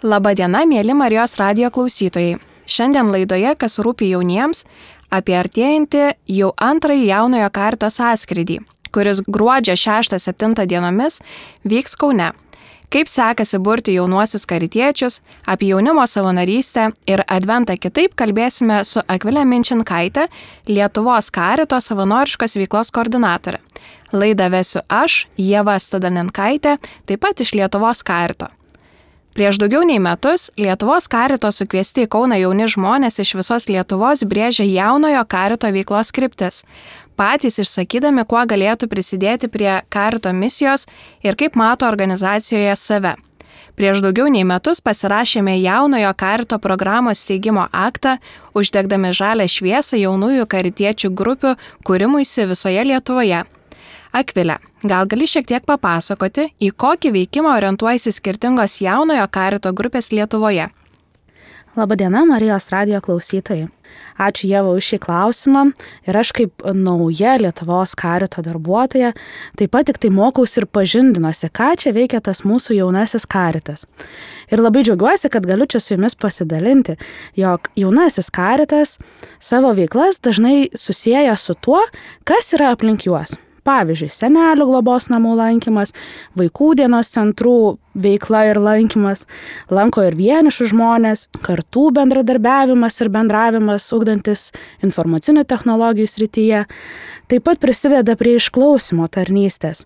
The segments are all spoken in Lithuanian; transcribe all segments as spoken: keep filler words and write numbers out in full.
Labadiena, mėly Marijos radijo klausytojai. Šiandien laidoje, kas rūpi jauniems, apie artėjantį jau antrąjį jaunojo karito sąskrydį, kuris gruodžio šeštą septintą dienomis vyks Kaune. Kaip sekasi burti jaunuosius karitiečius, apie jaunimo savanorystę ir adventą kitaip kalbėsime su Akvile Minčinkaite, Lietuvos karito savanoriškos veiklos koordinatorė. Laidą vesiu aš, Ieva Stadaninkaitė, taip pat iš Lietuvos karito. Prieš daugiau nei metus Lietuvos karito sukviesti į Kauną jauni žmonės iš visos Lietuvos brėžė jaunojo karito veiklos kryptis, patys išsakydami, kuo galėtų prisidėti prie karito misijos ir kaip mato organizacijoje save. Prieš daugiau nei metus pasirašėme jaunojo karito programos steigimo aktą, uždegdami žalią šviesą jaunųjų karitiečių grupių kūrimuisi visoje Lietuvoje. Akvile, gal gali šiek tiek papasakoti, į kokį veikimą orientuojasi skirtingos jaunojo karito grupės Lietuvoje? Labadiena, Marijos radijo klausytojai. Ačiū Ieva už šį klausimą ir aš kaip nauja Lietuvos karito darbuotoja taip pat tik tai mokausi ir pažindinuosi, ką čia veikia tas mūsų jaunasis karitas. Ir labai džiaugiuosi, kad galiu čia su jumis pasidalinti, jog jaunasis karitas savo veiklas dažnai susieja su tuo, kas yra aplink juos. Pavyzdžiui, senelių globos namų lankymas, vaikų dienos centrų veikla ir lankymas, lanko ir vienišų žmonės, kartų bendradarbiavimas ir bendravimas, ugdantis informacinių technologijų srityje, taip pat prisideda prie išklausymo tarnystės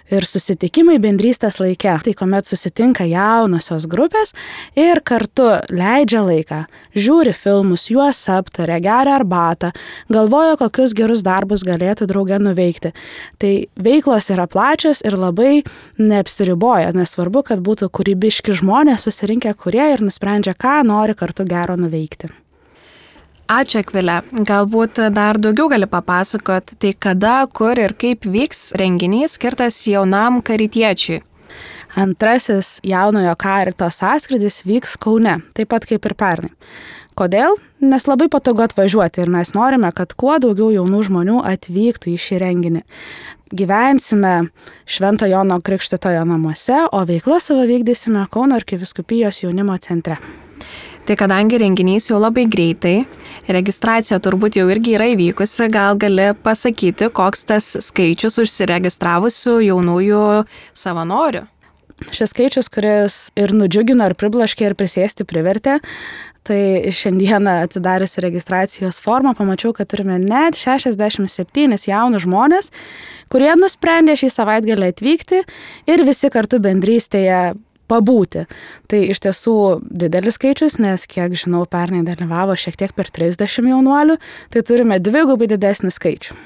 ir susitikimai bendrystės laike, tai kuomet susitinka jaunosios grupės ir kartu leidžia laiką, žiūri filmus, juos aptaria, geria arbatą, galvoja, kokius gerus darbus galėtų drauge nuveikti. Tai veiklos yra plačios ir labai neapsiriboja, nesvarbu, kad būtų kūrybiški žmonės susirinkę, kurie ir nusprendžia, ką nori kartu gero nuveikti. Ačiū, Akvile. Galbūt dar daugiau gali papasakoti, tai kada, kur ir kaip vyks renginys skirtas jaunam karitiečiui. Antrasis jaunojo karito sąskrydis vyks Kaune, taip pat kaip ir pernai. Kodėl? Nes labai patogu atvažiuoti ir mes norime, kad kuo daugiau jaunų žmonių atvyktų į šį renginį. Gyvensime Švento Jono Krikštytojo namuose, o veiklą savo vykdysime Kauno arkivyskupijos jaunimo centre. Tai kadangi renginys jau labai greitai, registracija turbūt jau irgi yra įvykusi, gal gali pasakyti, koks tas skaičius užsiregistravusių jaunųjų savanorių? Šis skaičius, kuris ir nudžiugino, ir priblaškė, ir prisėsti privertė, tai šiandieną atsidarius registracijos formą pamačiau, kad turime net šešiasdešimt septynis jaunus žmonės, kurie nusprendė šį savaitgalį atvykti ir visi kartu bendrystėje pabūti. Tai iš tiesų didelis skaičius, nes kiek žinau, pernai dalyvavo šiek tiek per trisdešimt jaunuolių, tai turime dvigubai didesnį skaičių.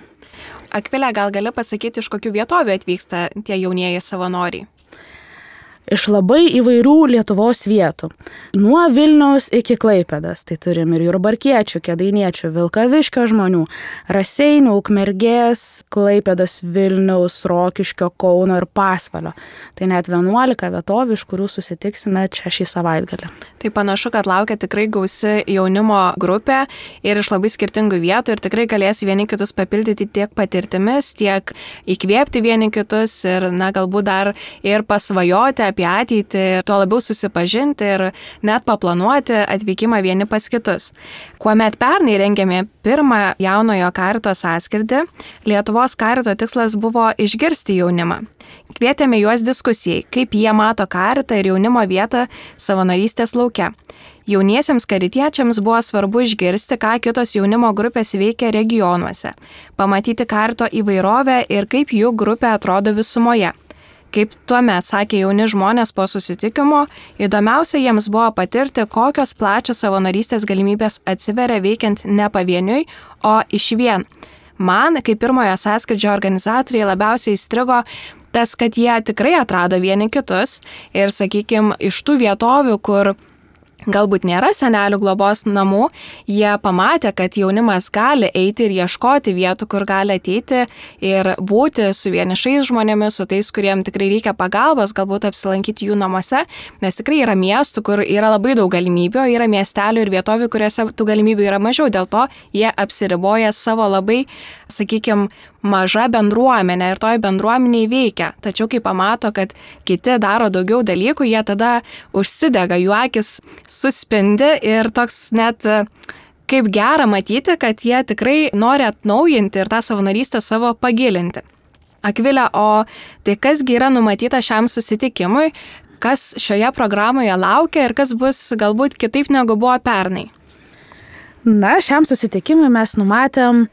Akvile, gal gali pasakyti, iš kokių vietovių atvyksta tie jaunieji savanoriai? Iš labai įvairių Lietuvos vietų. Nuo Vilniaus iki Klaipėdos. Tai turim ir jurbarkiečių, kėdainiečių, Vilkaviškio žmonių, Raseinių, Ukmergės, Klaipėdos, Vilniaus, Rokiškio, Kauno ir Pasvalio. Tai net vienuolika vietovių, iš kurių susitiksime čia šį savaitgalį. Tai panašu, kad laukia tikrai gausi jaunimo grupė ir iš labai skirtingų vietų ir tikrai galės vieni kitus papildyti tiek patirtimis, tiek įkvėpti vieni kitus ir, na, galbūt dar ir pasvajoti apie ateitį ir tuo labiau susipažinti ir net paplanuoti atvykimą vieni pas kitus. Kuomet pernai rengėme pirmą jaunojo karito sąskrydį, Lietuvos karito tikslas buvo išgirsti jaunimą. Kvietėme juos diskusijai, kaip jie mato karitą ir jaunimo vietą savanorystės lauke. Jauniesiems karitiečiams buvo svarbu išgirsti, ką kitos jaunimo grupės veikia regionuose, pamatyti karito įvairovę ir kaip jų grupė atrodo visumoje. Kaip tuomet sakė jauni žmonės po susitikimo, įdomiausia jiems buvo patirti, kokios plačios savanorystės galimybės atsiveria veikiant ne pavieniui, o išvien. Man, kaip pirmojo sąskrydžio organizatoriai, labiausiai įstrigo tas, kad jie tikrai atrado vieni kitus ir, sakykime, iš tų vietovių, kur galbūt nėra senelių globos namų, jie pamatė, kad jaunimas gali eiti ir ieškoti vietų, kur gali ateiti ir būti su vienišais žmonėmis, su tais, kuriems tikrai reikia pagalbos, galbūt apsilankyti jų namuose, nes tikrai yra miestų, kur yra labai daug galimybių, yra miestelių ir vietovių, kuriuose tų galimybių yra mažiau, dėl to jie apsiriboja savo labai, sakykime, maža bendruomenė ir toj bendruomeniai veikia. Tačiau kai pamato, kad kiti daro daugiau dalykų, jie tada užsidega, jų akis suspindi ir toks net kaip gera matyti, kad jie tikrai nori atnaujinti ir tą savanorystę savo pagilinti. Akvilė, o tai kasgi yra numatyta šiam susitikimui, kas šioje programoje laukia ir kas bus galbūt kitaip negu buvo pernai? Na, šiam susitikimui mes numatėm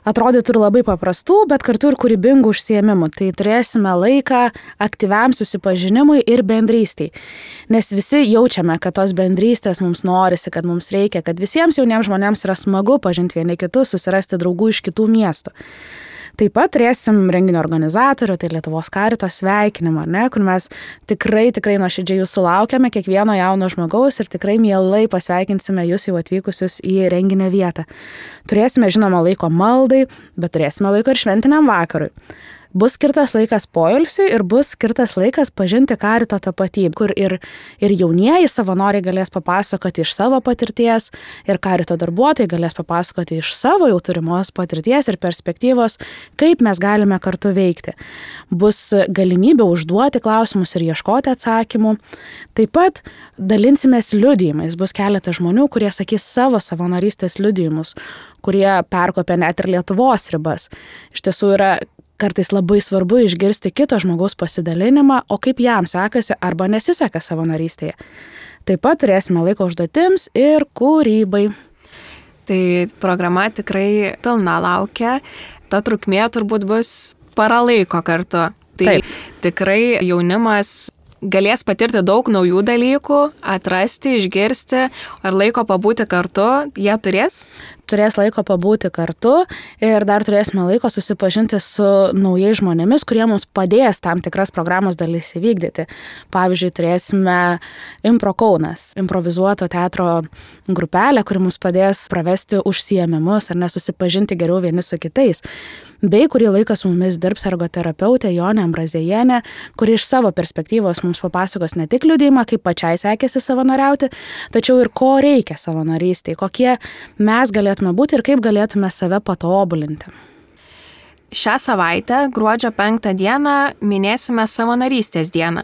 atrodytų ir labai paprastų, bet kartu ir kūrybingų užsiėmimų. Tai turėsime laiką aktyviam susipažinimui ir bendrystei. Nes visi jaučiame, kad tos bendrystės mums norisi, kad mums reikia, kad visiems jauniems žmonėms yra smagu pažinti vieni kitus, susirasti draugų iš kitų miestų. Taip pat turėsim renginio organizatorių, tai Lietuvos karito sveikinimą, ne, kur mes tikrai, tikrai nuoširdžiai jūsų laukiame, kiekvieno jauno žmogaus ir tikrai mielai pasveikinsime jūs jau atvykusius į renginio vietą. Turėsime, žinoma, laiko maldai, bet turėsime laiko ir šventiniam vakarui. Bus skirtas laikas poilsiui ir bus skirtas laikas pažinti karito tapatybę, kur ir, ir jaunieji savanoriai galės papasakoti iš savo patirties ir karito darbuotojai galės papasakoti iš savo jau turimos patirties ir perspektyvos, kaip mes galime kartu veikti. Bus galimybė užduoti klausimus ir ieškoti atsakymų. Taip pat dalinsimės liudijimais. Bus keletas žmonių, kurie sakys savo savanorystės liudijimus, kurie perkopia net ir Lietuvos ribas. Iš tiesų yra kartais labai svarbu išgirsti kito žmogaus pasidalinimą, o kaip jam sekasi arba nesiseka savanorystėje. Taip pat turėsime laiko užduotims ir kūrybai. Tai programa tikrai pilna laukia. Ta trukmė turbūt bus para laiko kartu. Tai Taip. Tikrai jaunimas galės patirti daug naujų dalykų, atrasti, išgirsti, ar laiko pabūti kartu jie turės? Turės laiko pabūti kartu ir dar turėsime laiko susipažinti su naujais žmonėmis, kurie mums padės tam tikras programos dalis įvykdyti. Pavyzdžiui, turėsime Impro Kaunas, improvizuoto teatro grupelę, kuri mums padės pravesti užsiėmimus ar nesusipažinti geriau vieni su kitais. Bei kurį laiką su mumis dirbs ergoterapeutė Jonė Ambrazėjienė, kuri iš savo perspektyvos mums papasakos ne tik liudijimą, kaip pačiai sekėsi savanoriauti, tačiau ir ko reikia savanorystėje, kokie mes galėtume būti ir kaip galėtume save patobulinti. Šią savaitę, gruodžio penktą dieną, minėsime savanorystės dieną.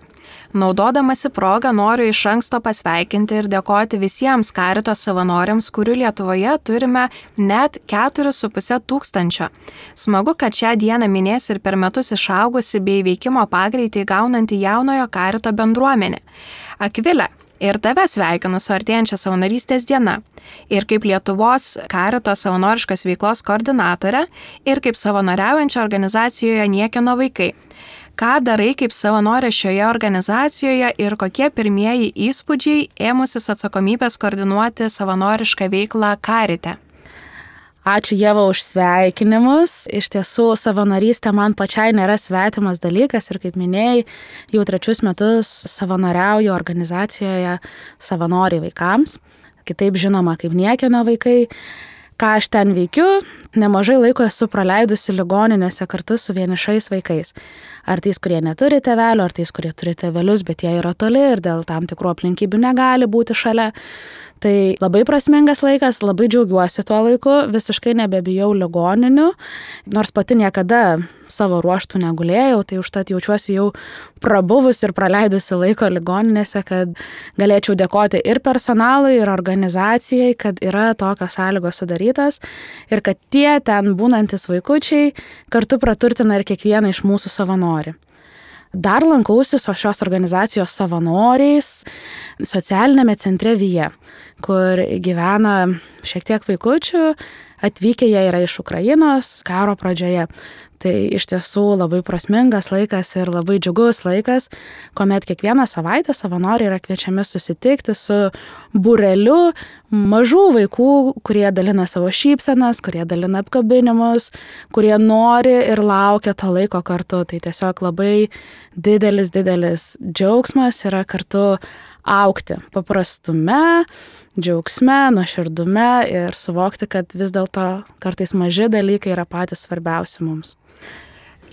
Naudodamasi progą noriu iš anksto pasveikinti ir dėkoti visiems karito savanoriams, kurių Lietuvoje turime net keturis su puse tūkstančio. Smagu, kad šią dieną minės ir per metus išaugusi bei veikimo pagreitį gaunanti jaunojo karito bendruomenė. Akvilė, ir tave sveikinu su artėjančia savanorystės diena. Ir kaip Lietuvos karito savanoriškos veiklos koordinatorė, ir kaip savanoriaujančia organizacijoje Niekieno vaikai. Ką darai kaip savanorė šioje organizacijoje ir kokie pirmieji įspūdžiai ėmusis atsakomybės koordinuoti savanorišką veiklą karite? Ačiū Ieva už sveikinimus. Iš tiesų, savanorystė man pačiai nėra svetimas dalykas ir kaip minėjai, jau trečius metus savanoriauju organizacijoje Savanoriai vaikams, kitaip žinoma kaip Niekieno vaikai. Ką aš ten veikiu, nemažai laiko esu praleidusi ligoninėse kartu su vienišais vaikais. Ar tais, kurie neturi tėvelių, ar tais, kurie turi tėvelius, bet jie yra toli ir dėl tam tikrų aplinkybių negali būti šalia. Tai labai prasmingas laikas, labai džiaugiuosi tuo laiku, visiškai nebebijau ligoninių, nors pati niekada savo ruoštų negulėjau, tai užtat jaučiuosi jau prabuvus ir praleidusi laiko ligoninėse, kad galėčiau dėkoti ir personalui, ir organizacijai, kad yra tokios sąlygos sudarytas ir kad tie ten būnantis vaikučiai kartu praturtina ir kiekvieną iš mūsų savanorių. Dar lankausi su šios organizacijos savanoriais socialinėme centre Vija, kur gyvena šiek tiek vaikučių, atvykę jie yra iš Ukrainos karo pradžioje. Tai iš tiesų labai prasmingas laikas ir labai džiugus laikas, kuomet kiekvieną savaitę savanoriai yra kviečiami susitikti su būreliu mažų vaikų, kurie dalina savo šypsenas, kurie dalina apkabinimus, kurie nori ir laukia to laiko kartu. Tai tiesiog labai didelis, didelis džiaugsmas yra kartu augti paprastume, džiaugsme, nuoširdume ir suvokti, kad vis dėlto kartais maži dalykai yra patys svarbiausi mums.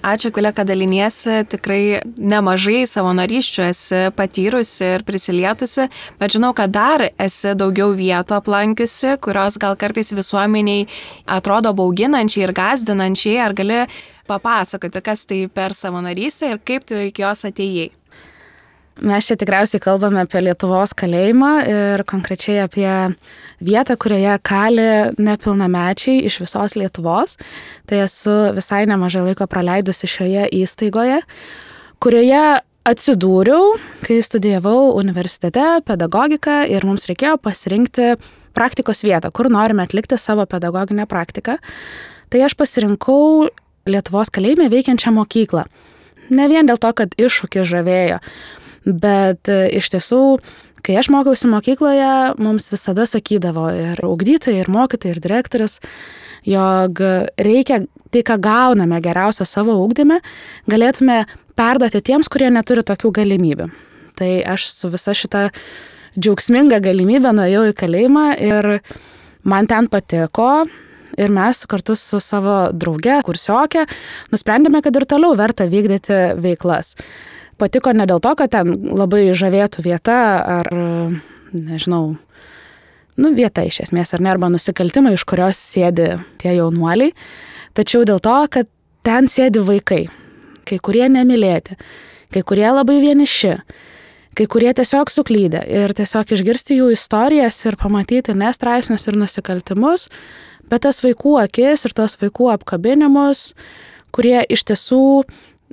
Ačiū, Akvilė, kad daliniesi, tikrai nemažai savanorysčių esi patyrusi ir prisilietusi, bet žinau, kad dar esi daugiau vietų aplankiusi, kurios gal kartais visuomeniai atrodo bauginančiai ir gąsdinančiai. Ar gali papasakoti, kas tai per savanorystę ir kaip tu iki jos atėjai? Mes čia tikriausiai kalbame apie Lietuvos kalėjimą ir konkrečiai apie vietą, kurioje kali nepilnamečiai iš visos Lietuvos. Tai esu visai nemažai laiko praleidusi šioje įstaigoje, kurioje atsidūriau, kai studijavau universitete pedagogiką ir mums reikėjo pasirinkti praktikos vietą, kur norime atlikti savo pedagoginę praktiką. Tai aš pasirinkau Lietuvos kalėjime veikiančią mokyklą. Ne vien dėl to, kad iššūkis žavėjo, bet iš tiesų, kai aš mokiausi mokykloje, mums visada sakydavo ir ugdytojai, ir mokytojai, ir direktorius, jog reikia tai, ką gauname geriausio savo ugdyme, galėtume perduoti tiems, kurie neturi tokių galimybių. Tai aš su visa šita džiaugsminga galimybė nuėjau į kalėjimą ir man ten patiko. Ir mes kartu su savo drauge, kursiokė, nusprendėme, kad ir toliau verta vykdyti veiklas. Patiko ne dėl to, kad ten labai žavėtų vieta ar, nežinau, nu vieta iš esmės, ar ne, arba nusikaltimai, iš kurios sėdi tie jaunuoliai, tačiau dėl to, kad ten sėdi vaikai, kai kurie nemylėti, kai kurie labai vieniši, kai kurie tiesiog suklydę ir tiesiog išgirsti jų istorijas ir pamatyti ne straipsnius ir nusikaltimus, bet tas vaikų akis ir tos vaikų apkabinimus, kurie iš tiesų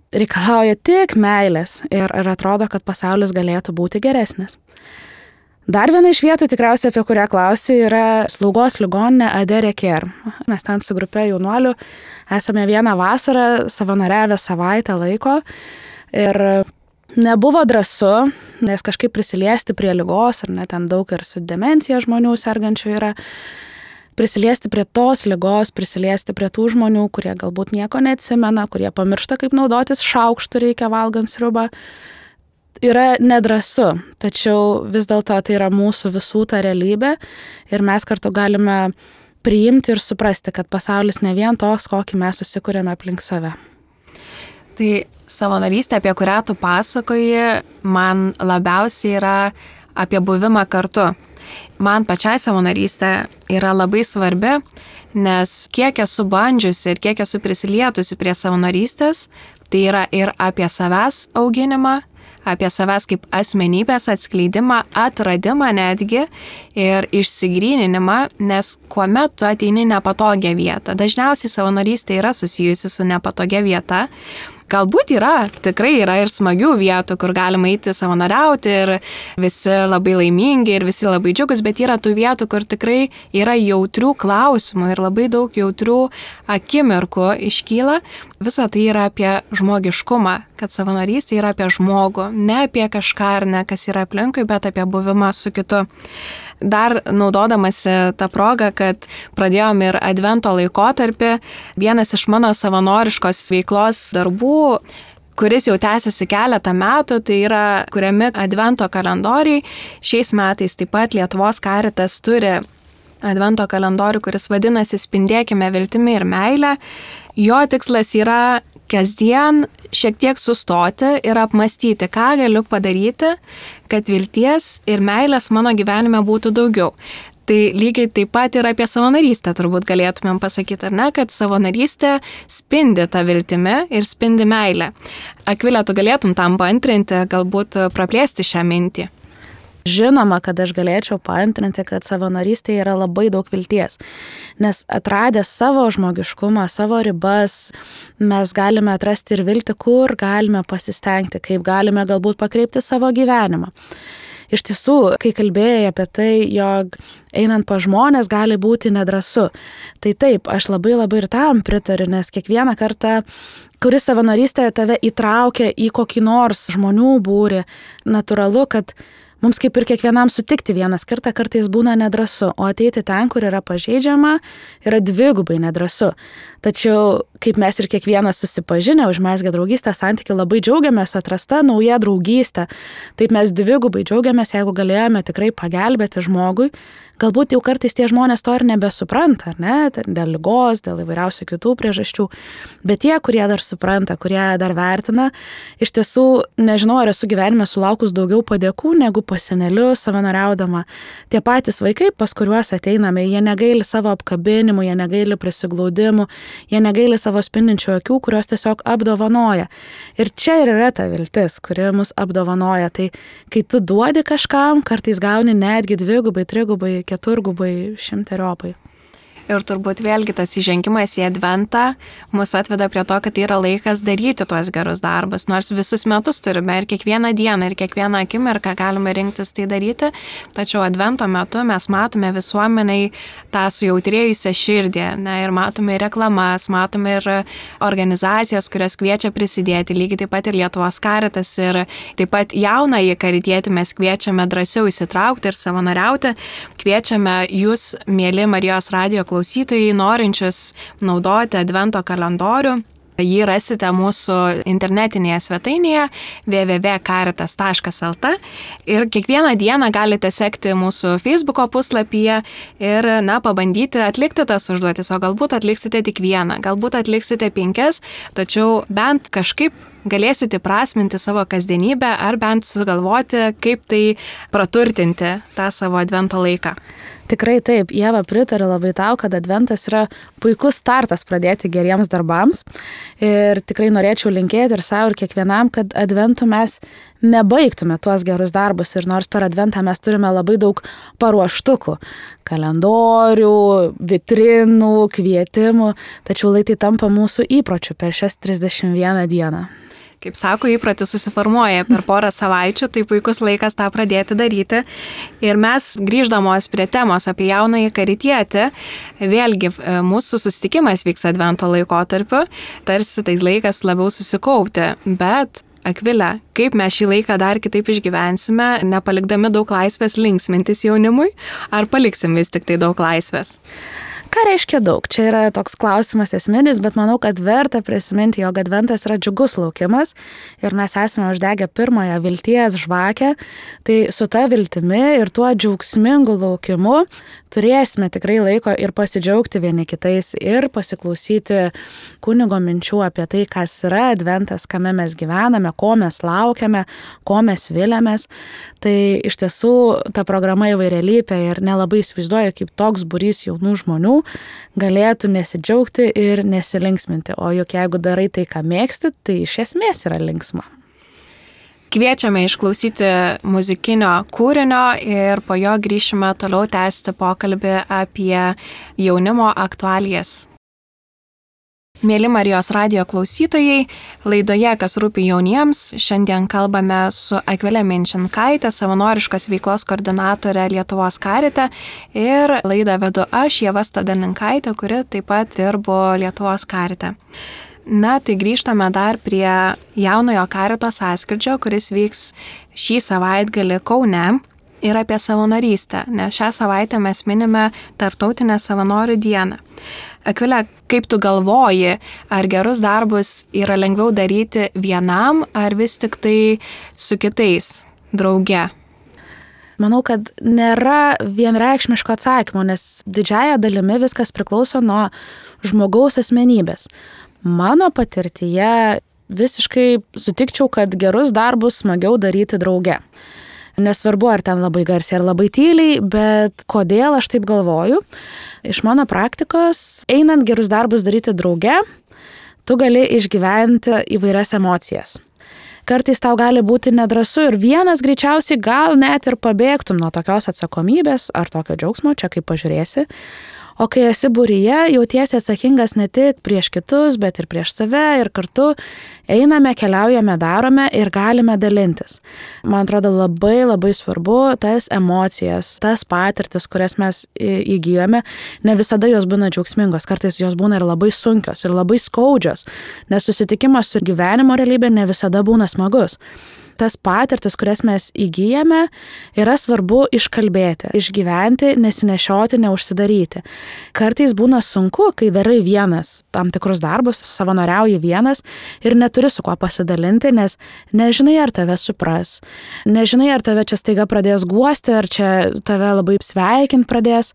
reikalauja tik meilės ir, ir atrodo, kad pasaulis galėtų būti geresnis. Dar viena iš vietų, tikriausiai apie kurią klausi, yra slaugos ligoninė Adere Care. Mes ten su grupė jaunuolių esame vieną vasarą savanoriavę savaitę laiko ir nebuvo drąsu, nes kažkaip prisiliesti prie ligos, ar ne, ten daug ir su demencija žmonių sergančių yra, prisiliesti prie tos ligos, prisiliesti prie tų žmonių, kurie galbūt nieko neatsimena, kurie pamiršta, kaip naudotis šaukštu reikia valgant sriubą, yra nedrąsu. Tačiau vis dėlto tai yra mūsų visų ta realybė ir mes kartu galime priimti ir suprasti, kad pasaulis ne vien toks, kokį mes susikūrėme aplink save. Tai savanorystė, apie kurią tu pasakoji, man labiausiai yra apie buvimą kartu. Man pačiai savanorystė yra labai svarbi, nes kiek esu bandžiusi ir kiek esu prisilietusi prie savanorystės, tai yra ir apie savęs auginimą, apie savęs kaip asmenybės atskleidimą, atradimą netgi ir išsigryninimą, nes kuomet tu ateini nepatogią vietą, dažniausiai savanorystė yra susijusi su nepatogia vieta. Galbūt yra, tikrai yra ir smagių vietų, kur galima eiti savanoriauti ir visi labai laimingi ir visi labai džiugus, bet yra tų vietų, kur tikrai yra jautrių klausimų ir labai daug jautrių akimirkų iškyla. Visa tai yra apie žmogiškumą, kad savanorystė yra apie žmogų, ne apie kažką ar ne, kas yra aplinkui, bet apie buvimą su kitu. Dar naudodamasi tą progą, kad pradėjom ir advento laikotarpį, vienas iš mano savanoriškos veiklos darbų, kuris jau tęsiasi keletą metų, tai yra kuriami advento kalendoriai. Šiais metais taip pat Lietuvos Caritas turi advento kalendorių, kuris vadinasi Spindėkime viltimi ir meilę. Jo tikslas yra kasdien šiek tiek sustoti ir apmastyti, ką galiu padaryti, kad vilties ir meilės mano gyvenime būtų daugiau. Tai lygiai taip pat ir apie savanorystę turbūt galėtumėm pasakyti, ar ne, kad savanorystė spindi tą viltimi ir spindi meilę. Akvilė, tu galėtum tam paantrinti, galbūt praplėsti šią mintį. Žinoma, kad aš galėčiau paantrinti, kad savanorystėje yra labai daug vilties, nes atradę savo žmogiškumą, savo ribas, mes galime atrasti ir viltį, kur galime pasistengti, kaip galime galbūt pakreipti savo gyvenimą. Iš tiesų, kai kalbėjai apie tai, jog einant pa žmonės gali būti nedrąsu. Tai taip, aš labai labai ir tam pritariu, nes kiekvieną kartą, kuris savanorystė tave įtraukia į kokį nors žmonių būrį, natūralu, kad mums kaip ir kiekvienam sutikti vienas kartą kartais būna nedrąsu, o ateiti ten, kur yra pažeidžiama, yra dvigubai nedrąsu. Tačiau, kaip mes ir kiekvienas susipažinę, užmezgę draugystę santykių, labai džiaugiamės atrasta nauja draugystė. Taip mes dvigubai džiaugiamės, jeigu galėjome tikrai pagelbėti žmogui. Galbūt jau kartais tie žmonės to ir nebesupranta, ne? Dėl ligos, dėl įvairiausių kitų priežasčių. Bet tie, kurie dar supranta, kurie dar vertina, iš tiesų, nežinau, ar esu gyvenime sulaukus daugiau padėkų negu pas senelius savanoriaudama. Tie patys vaikai, pas kuriuos ateiname, jie negaili savo apkabinimų, jie negaili prisiglaudimų, jie negaili savo spindinčių akių, kurios tiesiog apdovanoja. Ir čia ir yra ta viltis, kuri mus apdovanoja. Tai kai tu duodi kažkam, kartais gauni netgi dvigubai, trigubai, keturgubai, šimteriopai. Ir turbūt vėlgi tas įžengimas į adventą mus atveda prie to, kad tai yra laikas daryti tuos gerus darbus. Nors visus metus turime ir kiekvieną dieną, ir kiekvieną akimirką galime rinktis tai daryti, tačiau advento metu mes matome visuomeniai tą sujautrėjusią širdį, ne, ir matome ir reklamas, matome ir organizacijas, kurios kviečia prisidėti, lygiai taip pat ir Lietuvos Karitas, ir taip pat jaunąjį karitietį mes kviečiame drąsiau įsitraukti ir savanoriauti. Kviečiame jūs, mieli Marijos radijo klausytojai, klausytojai, norinčius naudoti advento kalendorių. Jį rasite mūsų internetinėje svetainėje w w w taškas karitas taškas l t ir kiekvieną dieną galite sekti mūsų Facebooko puslapyje ir, na, pabandyti atlikti tas užduotis, o galbūt atliksite tik vieną, galbūt atliksite penkias, tačiau bent kažkaip galėsite prasminti savo kasdienybę ar bent sugalvoti, kaip tai praturtinti tą savo advento laiką. Tikrai taip, Ieva, pritariu labai tau, kad adventas yra puikus startas pradėti geriems darbams ir tikrai norėčiau linkėti ir savo ir kiekvienam, kad adventų mes nebaigtume tuos gerus darbus ir nors per adventą mes turime labai daug paruoštukų, kalendorių, vitrinų, kvietimų, tačiau lai tai tampa mūsų įpročiu per šias trisdešimt vieną dieną. Kaip sako, įprotis susiformuoja per porą savaičių, tai puikus laikas tą pradėti daryti. Ir mes, grįždamos prie temos apie jaunąjį karitietį, vėlgi mūsų susitikimas vyks advento laikotarpiu, tarsi tais laikas labiau susikaupti, bet Akvilė, kaip mes šį laiką dar kitaip išgyvensime, nepalikdami daug laisvės linksmintis jaunimui, ar paliksim vis tik tai daug laisvės? Ką reiškia daug? Čia yra toks klausimas esminis, bet manau, kad verta prisiminti, jog adventas yra džiugus laukimas ir mes esame uždegę pirmąją vilties žvakę, tai su ta viltimi ir tuo džiaugsmingu laukimu turėsime tikrai laiko ir pasidžiaugti vieni kitais ir pasiklausyti kunigo minčių apie tai, kas yra adventas, kame mes gyvename, ko mes laukiame, ko mes viliamės. Tai iš tiesų ta programa įvairialypė ir nelabai įsivaizduoju, kaip toks būrys jaunų žmonių galėtų nesidžiaugti ir nesilinksminti. O juk jeigu darai tai, ką mėgsti, tai iš esmės yra linksma. Kviečiame išklausyti muzikinio kūrinio ir po jo grįšime toliau tęsti pokalbį apie jaunimo aktualijas. Mėly Marijos radijo klausytojai, laidoje Kas rūpi jauniems, šiandien kalbame su Akvile Minčinkaite, savanoriškos veiklos koordinatorė Lietuvos Karite, ir laidą vedu aš, Ieva Stadalinkaitė, kuri taip pat dirbo Lietuvos Karite. Na, tai grįžtame dar prie jaunojo karito sąskrydžio, kuris vyks šį savaitgalį Kaune, ir apie savanorystę, nes šią savaitę mes minime Tarptautinę savanorių dieną. Akvilė, kaip tu galvoji, ar gerus darbus yra lengviau daryti vienam, ar vis tik tai su kitais, drauge? Manau, kad nėra vienreikšmiško atsakymo, nes didžiąja dalimi viskas priklauso nuo žmogaus asmenybės. Mano patirtyje visiškai sutikčiau, kad gerus darbus smagiau daryti drauge. Nesvarbu, ar ten labai garsiai ar labai tyliai, bet kodėl aš taip galvoju? Iš mano praktikos, einant gerus darbus daryti drauge, tu gali išgyventi įvairias emocijas. Kartais tau gali būti nedrąsu ir vienas greičiausiai gal net ir pabėgtum nuo tokios atsakomybės ar tokio džiaugsmo, čia kaip pažiūrėsi. O kai esi būryje, jautiesi atsakingas ne tik prieš kitus, bet ir prieš save ir kartu einame, keliaujame, darome ir galime dalintis. Man atrodo labai labai svarbu tas emocijas, tas patirtis, kurias mes įgyjame, ne visada jos būna džiaugsmingos, kartais jos būna ir labai sunkios, ir labai skaudžios, nes susitikimas su gyvenimo realybė ne visada būna smagus. Tas patirtis, kurias mes įgyjame, yra svarbu iškalbėti, išgyventi, nesinešioti, neužsidaryti. Kartais būna sunku, kai darai vienas tam tikrus darbus, savanoriauji vienas ir neturi su kuo pasidalinti, nes nežinai, ar tave supras, nežinai, ar tave čia staiga pradės guosti, ar čia tave labai sveikint pradės.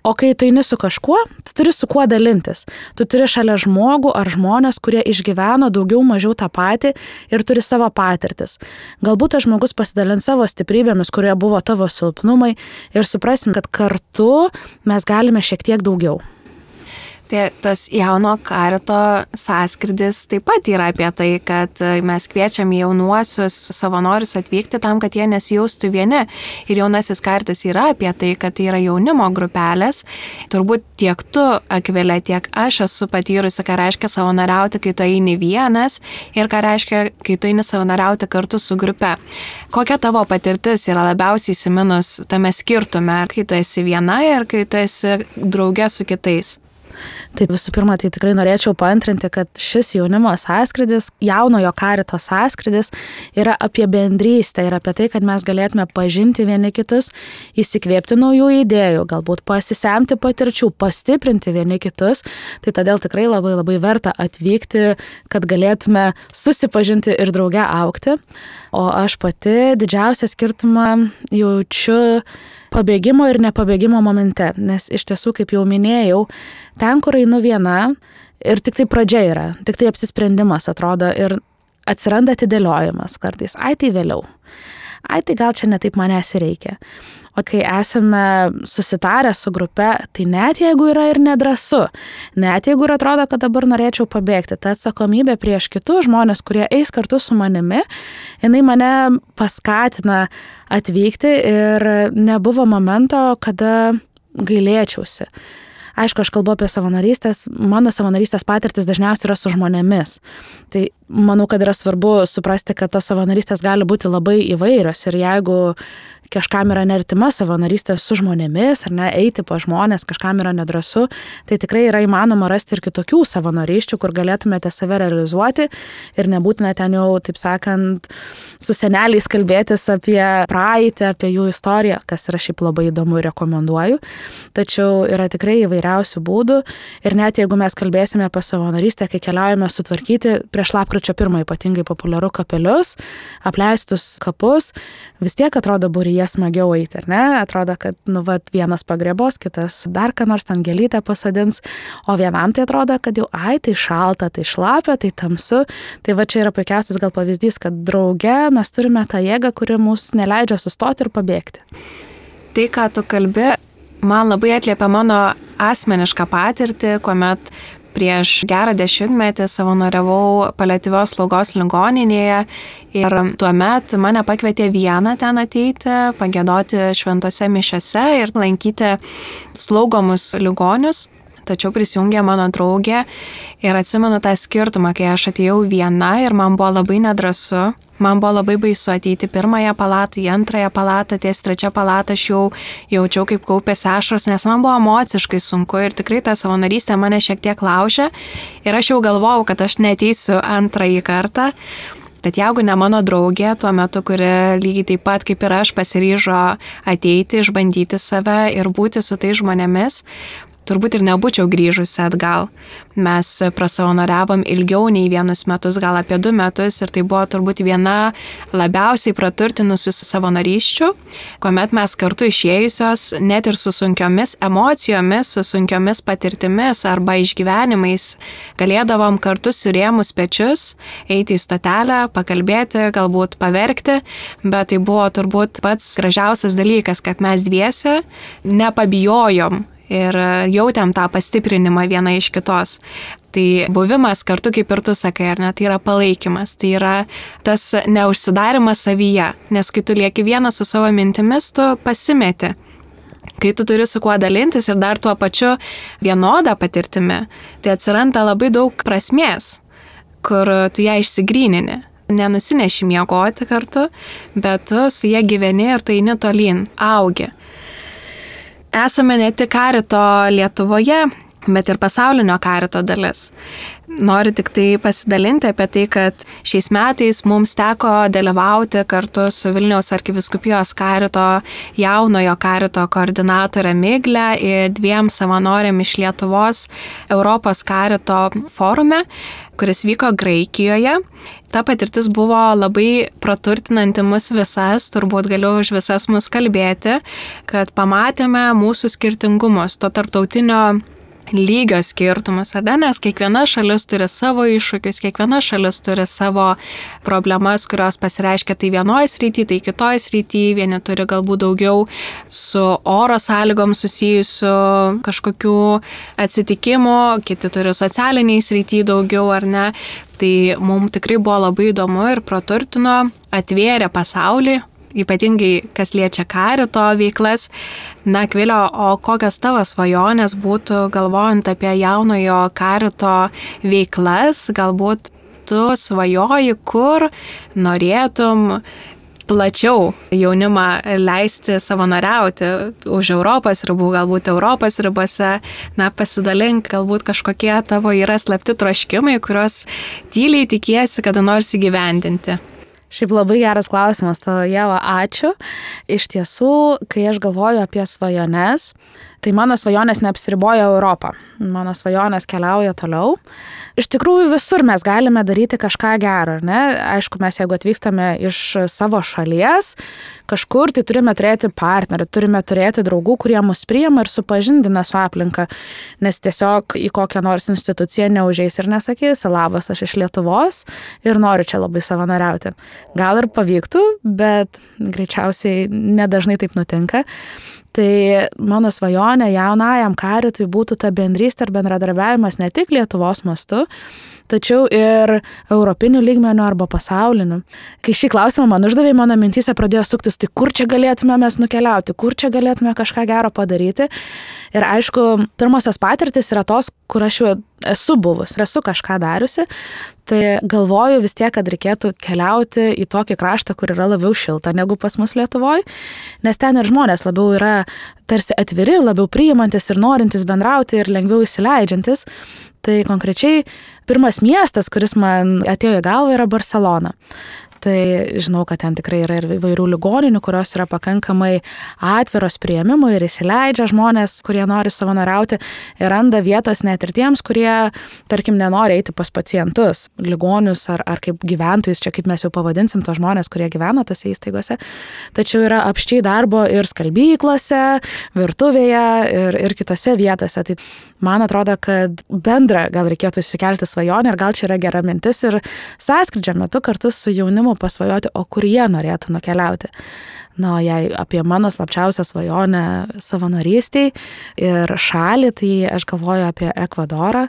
O kai tu eini su kažkuo, tu turi su kuo dalintis. Tu turi šalia žmogų ar žmonės, kurie išgyveno daugiau mažiau tą patį ir turi savo patirtis. Galbūt tas žmogus pasidalins savo stiprybėmis, kurie buvo tavo silpnumai ir suprasim, kad kartu mes galime šiek tiek daugiau. Tai tas jauno karito sąskrydis taip pat yra apie tai, kad mes kviečiam jaunuosius savanorius atvykti tam, kad jie nesijaustų vieni. Ir jaunasis karitas yra apie tai, kad tai yra jaunimo grupelės. Turbūt tiek tu, Akvilė, tiek aš esu patyrusi, ką reiškia savanoriauti, kai tu eini vienas ir ką reiškia, kai tu eini savanoriauti kartu su grupe. Kokia tavo patirtis yra labiausiai įsiminus tame skirtume, kai tu esi viena ir kai tu esi drauge su kitais? Tai visų pirma, tai tikrai norėčiau paantrinti, kad šis jaunimo sąskrydis, jaunojo karito sąskrydis yra apie bendrystę ir apie tai, kad mes galėtume pažinti vieni kitus, įsikvėpti naujų idėjų, galbūt pasisemti patirčių, pastiprinti vieni kitus. Tai todėl tikrai labai labai verta atvykti, kad galėtume susipažinti ir drauge augti. O aš pati didžiausią skirtumą jaučiu pabėgimo ir nepabėgimo momente, nes iš tiesų, kaip jau minėjau, ten, kur einu viena ir tik tai pradžia yra, tik tai apsisprendimas atrodo ir atsiranda atidėliojimas kartais, ai tai vėliau, ai tai gal čia netaip manęs reikia. O kai esame susitarę su grupe, tai net jeigu yra ir nedrąsu, net jeigu ir atrodo, kad dabar norėčiau pabėgti, ta atsakomybė prieš kitus žmonės, kurie eis kartu su manimi, jinai mane paskatina atvykti ir nebuvo momento, kada gailėčiausi. Aišku, aš kalbu apie savanorystės, mano savanorystės patirtis dažniausiai yra su žmonėmis. Tai manau, kad yra svarbu suprasti, kad tos savanorystės gali būti labai įvairios ir jeigu kažkam yra neartima savanorystė su žmonėmis, ar ne, eiti po žmonės, kažkam yra nedrąsu, tai tikrai yra įmanoma rasti ir kitokių savanorysčių, kur galėtumėte save realizuoti ir nebūtina ten jau, taip sakant, su seneliais kalbėtis apie praeitį, apie jų istoriją, kas yra šiaip labai įdomu ir rekomenduoju. Tačiau yra tikrai įvairiausių būdų ir net jeigu mes kalbėsime apie savanorystę, kai keliaujame sutvarkyti prieš lapkričio pirmą ypatingai populiaru kapelius, apleistus kapus, vis tiek atrodo būryje smagiau eiti, ar ne? Atrodo, kad nu, vat, vienas pagrebos, kitas dar ką nors ten gėlytę pasodins, o vienam tai atrodo, kad jau ai, tai šalta, tai šlapia, tai tamsu. Tai va čia yra puikiausias gal pavyzdys, kad drauge mes turime tą jėgą, kuri mus neleidžia sustoti ir pabėgti. Tai, ką tu kalbi, man labai atliepia mano asmenišką patirtį, kuomet prieš gerą dešimtmetį savanoriavau paliatyvios slaugos ligoninėje ir tuomet mane pakvietė vieną ten ateiti, pagiedoti šventose mišiose ir lankyti slaugomus ligonius. Tačiau prisijungė mano draugė ir atsimenu tą skirtumą, kai aš atėjau viena ir man buvo labai nedrąsu. Man buvo labai baisu ateiti pirmąją palatą, į antrąją palatą, ties trečią palatą aš jau jaučiau, kaip kaupėsi ašaros, nes man buvo emociškai sunku ir tikrai ta savanorystė mane šiek tiek laužė ir aš jau galvojau, kad aš neateisiu antrąjį kartą. Tad jeigu ne mano draugė tuo metu, kuri lygiai taip pat kaip ir aš pasiryžo ateiti, išbandyti save ir būti su tais žmonėmis, turbūt ir nebūčiau grįžusi atgal. Mes prasavanoriavom ilgiau nei vienus metus, gal apie du metus ir tai buvo turbūt viena labiausiai praturtinusių savanorysčių, kuomet mes kartu išėjusios net ir su sunkiomis emocijomis, su sunkiomis patirtimis arba išgyvenimais galėdavom kartu surėmus pečius, eiti į stotelę, pakalbėti, galbūt paverkti, bet tai buvo turbūt pats gražiausias dalykas, kad mes dviese nepabijojom ir jautėm tą pastiprinimą viena iš kitos. Tai buvimas kartu, kaip ir tu sakai, ar ne, tai yra palaikymas, tai yra tas neužsidarimas savyje, nes kai tu lieki vienas su savo mintimis, tu pasimeti. kai tu turi su kuo dalintis ir dar tuo pačiu vienodą patirtimi, tai atsiranda labai daug prasmės, kur tu ją išsigrynini. Nenusineši miegoti kartu, bet tu su jie gyveni ir tu eini tolyn, augi. Esame ne tik karito Lietuvoje, bet ir pasaulinio karito dalis. Noriu tik tai pasidalinti apie tai, kad šiais metais mums teko dalyvauti kartu su Vilniaus arkivyskupijos karito jaunojo karito koordinatorė Miglė ir dviem savanoriam iš Lietuvos Europos karito forume, kuris vyko Graikijoje. Ta patirtis buvo labai praturtinanti mus visas, turbūt galiu už visas mus kalbėti, kad pamatėme mūsų skirtingumus, to tarptautinio lygio skirtumus, ar ne? Nes kiekviena šalis turi savo iššūkius, kiekviena šalis turi savo problemas, kurios pasireiškia tai vienoje srityje, tai kitoje srityje, vieni turi galbūt daugiau su oro sąlygom susijusių kažkokių atsitikimų, kiti turi socialiniai srityje daugiau, ar ne? Tai mums tikrai buvo labai įdomu ir praturtino, atvėrė pasaulį, ypatingai kas liečia karito veiklas. Na, Akvilė, o kokios tavo svajonės būtų galvojant apie jaunojo karito veiklas? Galbūt tu svajoji, kur norėtum plačiau jaunimą leisti savanoriauti už Europos ribų, galbūt Europos ribose. Na, pasidalink, galbūt kažkokie tavo yra slapti troškimai, kuriuos tyliai tikiesi kada nors įgyvendinti. Šiaip labai geras klausimas tavo, Ieva, ačiū. Iš tiesų, kai aš galvoju apie svajones, tai mano svajonės neapsiriboja Europą. Mano svajonės keliauja toliau. Iš tikrųjų visur mes galime daryti kažką gero, ne? Aišku, mes jeigu atvykstame iš savo šalies, kažkur tai turime turėti partnerį, turime turėti draugų, kurie mus priima ir supažindina su aplinka, nes tiesiog į kokią nors instituciją neužeis ir nesakys, labas, aš iš Lietuvos ir noriu čia labai savanoriauti. Gal ir pavyktų, bet greičiausiai nedažnai taip nutinka. Tai mano svajonė jaunajam karitui būtų ta bendrystė ir bendradarbiavimas ne tik Lietuvos mastu, tačiau ir europinių lygmenių arba pasaulinių. Kai šį klausimą man uždavė, mano mintyse pradėjo suktis, tai kur čia galėtume mes nukeliauti, kur čia galėtume kažką gero padaryti. Ir aišku, pirmosios patirtis yra tos, kur aš jau esu buvus, esu kažką dariusi, tai galvoju vis tiek, kad reikėtų keliauti į tokį kraštą, kur yra labiau šilta negu pas mus Lietuvoje, nes ten ir žmonės labiau yra tarsi atviri, labiau priimantis ir norintis bendrauti ir lengviau įsileidžiantis. Tai konkrečiai pirmas miestas, kuris man atėjo į galvą, yra Barselona. Tai žinau, kad ten tikrai yra ir įvairių ligoninių, kurios yra pakankamai atviros priėmimui ir įsileidžia žmonės, kurie nori savanoriauti ir randa vietos net ir tiems, kurie, tarkim, nenori eiti pas pacientus, ligonius ar, ar kaip gyventojus, čia kaip mes jau pavadinsim tos žmonės, kurie gyvena tose įstaigose. Tačiau yra apščiai darbo ir skalbyklose, virtuvėje ir, ir kitose vietose. Tai man atrodo, kad bendra gal reikėtų išsikelti svajonę ir gal čia yra gera mintis ir sąskrydžio metu kartu su jaunimu pasvajoti, o kur jie norėtų nukeliauti. Na, jei apie mano slapčiausią svajonę savanorystėj ir šalį, tai aš galvoju apie Ekvadorą.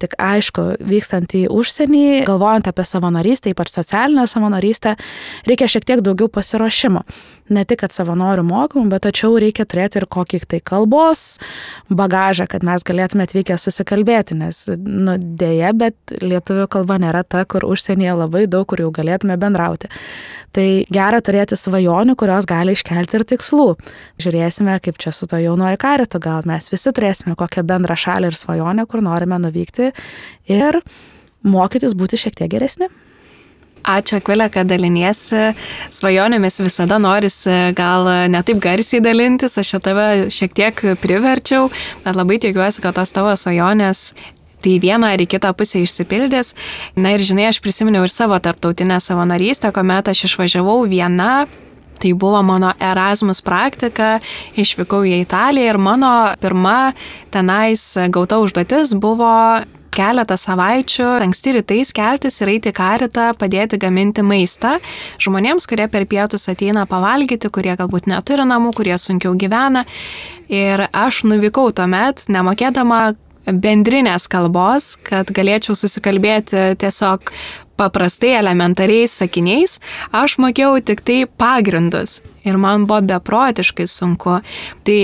Tik aišku, vykstant į užsienį, galvojant apie savanorystę, ypač socialinę savanorystę, reikia šiek tiek daugiau pasiruošimo. Ne tik, kad savanorių mokymų, bet tačiau reikia turėti ir kokį tai kalbos bagažą, kad mes galėtume atvykę susikalbėti, nes, nu, dėja, bet lietuvių kalba nėra ta, kur užsienyje labai daug, kur jau galėtume bendrauti. Tai gera turėti svajonių, kurios gali iškelti ir tikslų. Žiūrėsime, kaip čia su to jaunojo karitu, gal mes visi turėsime kokią bendrą šalį ir svajonę, kur norime nuvykti ir mokytis būti šiek tiek geresni. Ačiū, Akvilė, kad daliniesi svajonėmis, visada norisi gal ne taip garsiai dalintis, aš čia tave šiek tiek priverčiau, bet labai tikiuosi, kad tos tavo svajonės tai vieną ar į kitą pusę išsipildys. Na ir žinai, aš prisiminiau ir savo tarptautinę savanorystę, kuomet aš išvažiavau viena. Tai buvo mano Erasmus praktika, išvykau į Italiją ir mano pirma tenais gauta užduotis buvo keletą savaičių anksti rytais keltis ir eiti į karitą, padėti gaminti maistą žmonėms, kurie per pietus ateina pavalgyti, kurie galbūt neturi namų, kurie sunkiau gyvena. Ir aš nuvykau tuomet, nemokėdama bendrinės kalbos, kad galėčiau susikalbėti tiesiog paprastai elementariais sakiniais, aš mokėjau tik tai pagrindus ir man buvo beprotiškai sunku. Tai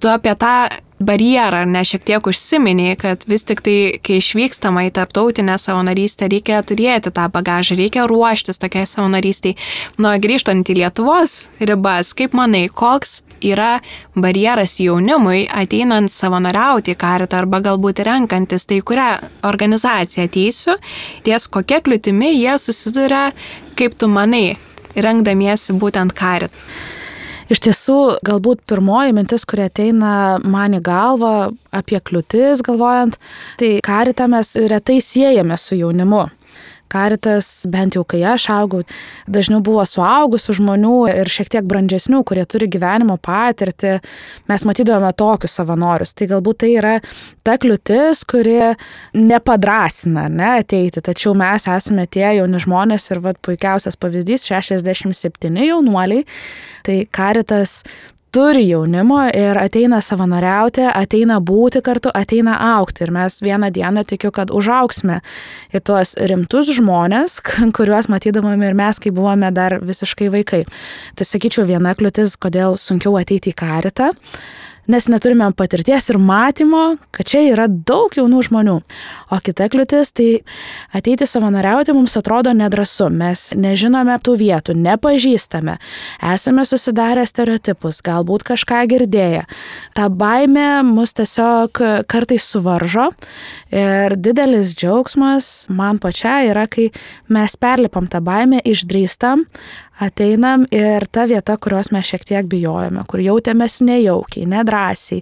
Tu apie tą barjerą, ar ne, šiek tiek užsiminėjai, kad vis tik tai, kai išvykstama į tarptautinę savanorystę, reikia turėti tą bagažą, reikia ruoštis tokiai savanorystiai. Nu, grįžtant į Lietuvos ribas, kaip manai, koks yra barjeras jaunimui ateinant savanoriauti į Karitą arba galbūt renkantis, tai kurią organizaciją ateisiu, ties kokia kliūtimi jie susiduria, kaip tu manai, rengdamiesi būtent Karitą? Iš tiesų, galbūt pirmoji mintis, kuri ateina man į galvą apie kliūtis galvojant, tai Karitą mes retai siejame su jaunimu. Karitas, bent jau kai aš augau, dažniau buvo suaugusių žmonių ir šiek tiek brandžesnių, kurie turi gyvenimo patirtį. Mes matydavome tokius savanorius. Tai galbūt tai yra ta kliūtis, kuri nepadrasina, ne, ateiti. Tačiau mes esame tie jauni žmonės ir vat, puikiausias pavyzdys šešiasdešimt septyni jaunuoliai. Tai Karitas turi jaunimo ir ateina savanoriauti, ateina būti kartu, ateina augti. Ir mes vieną dieną tikiu, kad užaugsime į tuos rimtus žmonės, kuriuos matydavome ir mes, kai buvome dar visiškai vaikai. Tai sakyčiau, viena kliūtis, kodėl sunkiau ateiti į Karitą, nes neturime patirties ir matymo, kad čia yra daug jaunų žmonių. O kita kliūtis, tai ateiti savanoriauti mums atrodo nedrąsu. Mes nežinome tų vietų, nepažįstame, esame susidarę stereotipus, galbūt kažką girdėję. Ta baimė mus tiesiog kartais suvaržo ir didelis džiaugsmas man pačiai yra, kai mes perlipam tą baimę, išdrįstam, ateinam ir ta vieta, kurios mes šiek tiek bijojame, kur jautėmės nejaukiai, nedrąsiai,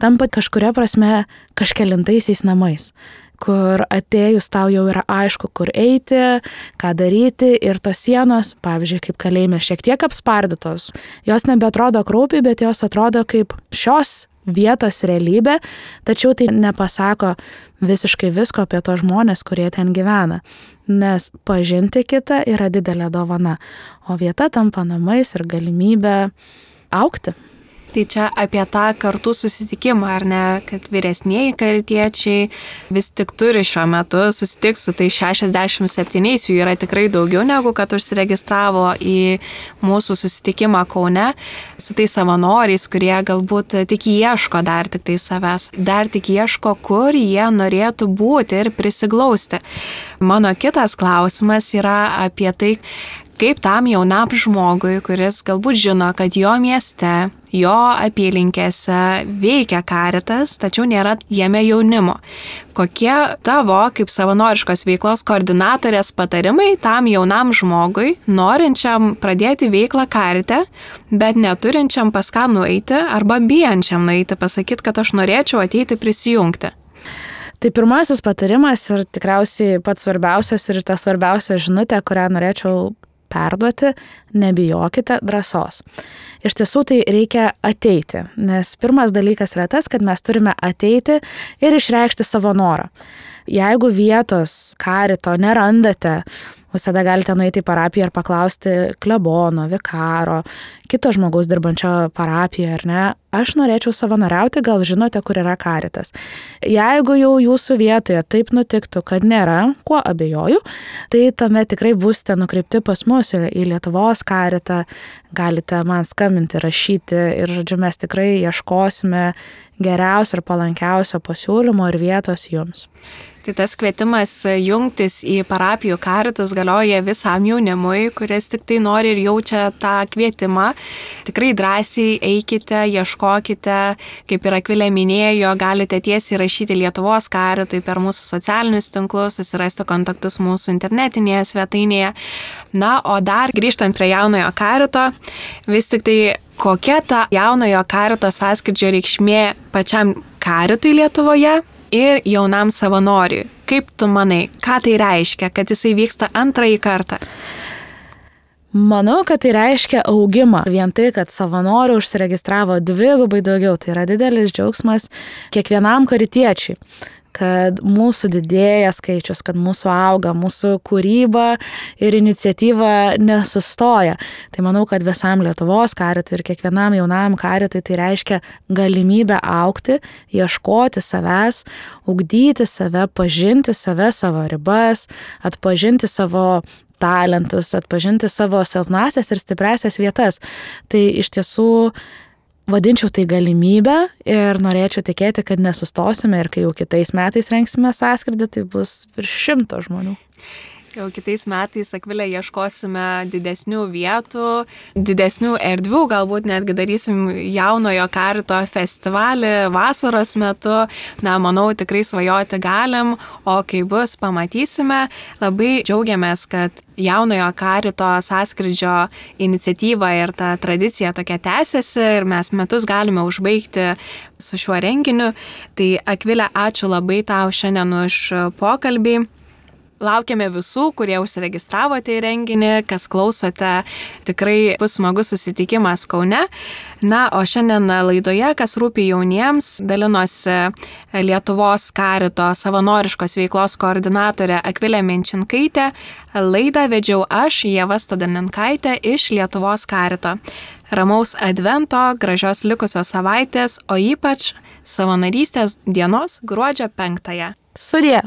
tampa kažkuria prasme kažkelintaisiais namais, kur atėjus tau jau yra aišku, kur eiti, ką daryti ir tos sienos, pavyzdžiui, kaip kalėjime, šiek tiek apspardytos. Jos nebeatrodo kraupiai, bet jos atrodo kaip šios vietos realybė, tačiau tai nepasako visiškai visko apie tos žmonės, kurie ten gyvena. Nes pažinti kitą yra didelė dovana, o vieta tampa namais ir galimybė augti. Tai čia apie tą kartų susitikimą, ar ne, kad vyresnieji karitiečiai vis tik turi šiuo metu susitikti su tai šešiasdešimt septyniais, jų yra tikrai daugiau negu kad užsiregistravo į mūsų susitikimą Kaune, su tai savanoriais, kurie galbūt tik ieško dar tik tai savęs, dar tik ieško, kur jie norėtų būti ir prisiglausti. Mano kitas klausimas yra apie tai, kaip tam jaunam žmogui, kuris galbūt žino, kad jo mieste, jo apylinkėse veikia Karitas, tačiau nėra jame jaunimo. Kokie tavo, kaip savanoriškos veiklos koordinatorės patarimai tam jaunam žmogui, norinčiam pradėti veiklą Karite, bet neturinčiam pas ką nueiti arba bijančiam nueiti, pasakyti, kad aš norėčiau ateiti prisijungti? Tai pirmasis patarimas ir tikriausiai pats svarbiausias ir ta svarbiausia žinutė, kurią norėčiau perduoti, nebijokite drąsos. Iš tiesų tai reikia ateiti, nes pirmas dalykas yra tas, kad mes turime ateiti ir išreikšti savo norą. Jeigu vietos Karito nerandate, visada galite nueiti į parapiją ir paklausti klebono, vikaro, kito žmogaus dirbančio parapijoje, ar ne, aš norėčiau savanoriauti, gal žinote, kur yra Karitas. Jeigu jau jūsų vietoje taip nutiktų, kad nėra, kuo abejoju, tai tuomet tikrai būsite nukreipti pas mus į Lietuvos Karitą, galite man skambinti, rašyti ir, žodžiu, mes tikrai ieškosime geriausio ir palankiausio pasiūlymo ir vietos jums. Tai tas kvietimas jungtis į parapijų karitus galioja visam jaunimui, kuris tik tai nori ir jaučia tą kvietimą. Tikrai drąsiai eikite, ieškokite, kaip ir Akvilė minėjo, galite tiesiai rašyti Lietuvos Karitui per mūsų socialinius tinklus, susirasti kontaktus mūsų internetinėje svetainėje. Na, o dar grįžtant prie jaunojo karito, vis tik tai kokia ta jaunojo karito sąskrydžio reikšmė pačiam karitui Lietuvoje ir jaunam savanoriui. Kaip tu manai, ką tai reiškia, kad jisai vyksta antrąjį kartą? Manau, kad tai reiškia augimą. Vien tai, kad savanorių užsiregistravo dvigubai daugiau, tai yra didelis džiaugsmas kiekvienam karitiečiui, kad mūsų didėja skaičius, kad mūsų auga, mūsų kūryba ir iniciatyva nesustoja. Tai manau, kad visam Lietuvos karitui ir kiekvienam jaunam karitui tai reiškia galimybę augti, ieškoti savęs, ugdyti save, pažinti save, savo ribas, atpažinti savo talentus, atpažinti savo silpnasias ir stipriasias vietas. Tai iš tiesų vadinčiau tai galimybę ir norėčiau tikėti, kad nesustosime ir kai jau kitais metais rengsime sąskridį, tai bus virš šimto žmonių. Jau kitais metais, Akvilė, ieškosime didesnių vietų, didesnių erdvių, galbūt netgi darysim jaunojo karito festivalį vasaros metu. Na, manau, tikrai svajoti galim, o kai bus, pamatysime. Labai džiaugiamės, kad jaunojo karito sąskrydžio iniciatyva ir ta tradicija tokia tęsiasi ir mes metus galime užbaigti su šiuo renginiu. Tai, Akvilė, ačiū labai tau šiandien už pokalbį. Laukiame visų, kurie užsiregistravote į renginį, kas klausote, tikrai bus smagus susitikimas Kaune. Na, o šiandien laidoje, kas rūpi jauniems, dalinosi Lietuvos karito savanoriškos veiklos koordinatorė Akvilė Menčinkaitė. Laidą vedžiau aš, Ieva Stadaninkaitė iš Lietuvos karito. Ramaus advento, gražios likusios savaitės, o ypač savanorystės dienos gruodžio penktąją. Sudie!